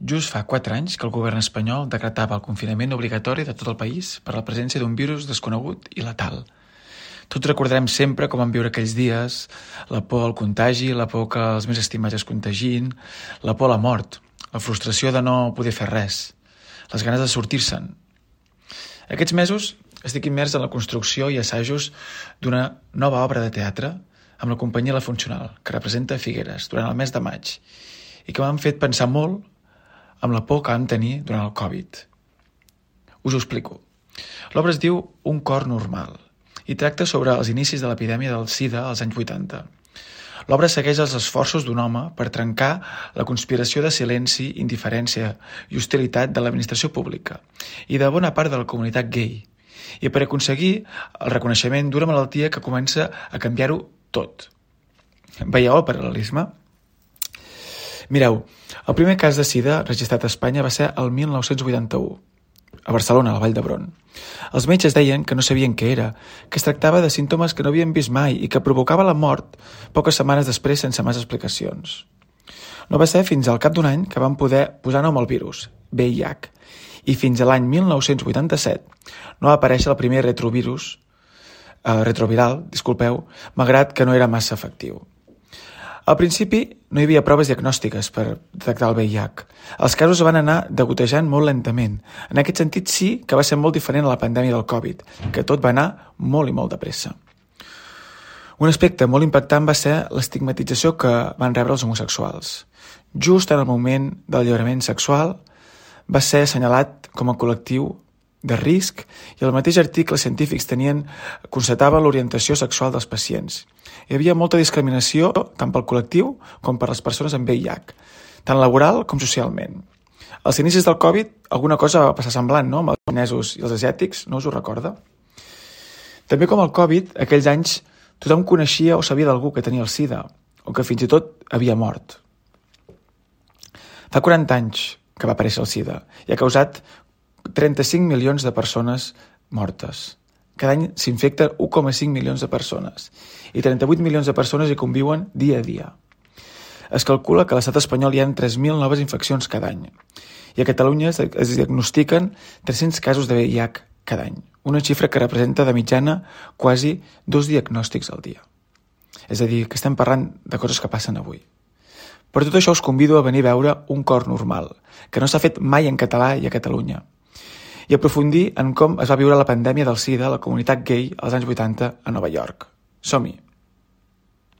Just fa 4 anys que el govern espanyol decretava el confinament obligatori de tot el país per la presència d'un virus desconegut i letal. Tots recordarem sempre com vam viure aquells dies, la por al contagi, la por que els més estimats es contagin, la por a la mort, la frustració de no poder fer res, les ganes de sortir-se'n. Aquests mesos estic immers en la construcció i assajos d'una nova obra de teatre amb la companyia La Funcional, que representa Figueres durant el mes de maig i que m'han fet pensar molt amb la por que vam tenir durant el Covid. Us ho explico. L'obra es diu Un cor normal i tracta sobre els inicis de l'epidèmia del SIDA als anys 80. L'obra segueix els esforços d'un home per trencar la conspiració de silenci, indiferència i hostilitat de l'administració pública i de bona part de la comunitat gay i per aconseguir el reconeixement d'una malaltia que comença a canviar-ho tot. Veieu el paral·lelisme? Mireu, el primer cas de SIDA registrat a Espanya va ser el 1981, a Barcelona, a la Vall d'Hebron. Els metges deien que no sabien què era, que es tractava de símptomes que no havien vist mai i que provocava la mort poques setmanes després sense més explicacions. No va ser fins al cap d'un any que van poder posar nom al virus, VIH, i fins a l'any 1987 no va aparèixer el primer retroviral, malgrat que no era massa efectiu. Al principi no hi havia proves diagnòstiques per detectar el VIH. Els casos van anar degotejant molt lentament. En aquest sentit sí que va ser molt diferent a la pandèmia del Covid, que tot va anar molt i molt de pressa. Un aspecte molt impactant va ser l'estigmatització que van rebre els homosexuals. Just en el moment del alliberament sexual va ser assenyalat com a col·lectiu de risc i el mateix article científics constatava l'orientació sexual dels pacients. Hi havia molta discriminació tant pel col·lectiu com per les persones amb VIH, tant laboral com socialment. Als inicis del Covid alguna cosa va passar semblant, no?, amb els xinesos i els asiàtics, no us ho recorda? També com el Covid, aquells anys tothom coneixia o sabia d'algú que tenia el SIDA o que fins i tot havia mort. Fa 40 anys que va aparèixer el SIDA i ha causat 35 milions de persones mortes. Cada any s'infecten 1,5 milions de persones i 38 milions de persones hi conviuen dia a dia. Es calcula que a l'estat espanyol hi ha 3.000 noves infeccions cada any i a Catalunya es diagnostiquen 300 casos de VIH cada any, una xifra que representa de mitjana quasi 2 diagnòstics al dia. És a dir, que estem parlant de coses que passen avui. Per tot això us convido a venir a veure Un cor normal, que no s'ha fet mai en català i a Catalunya, i aprofundir en com es va viure la pandèmia del SIDA a la comunitat gay als anys 80 a Nova York. Som-hi!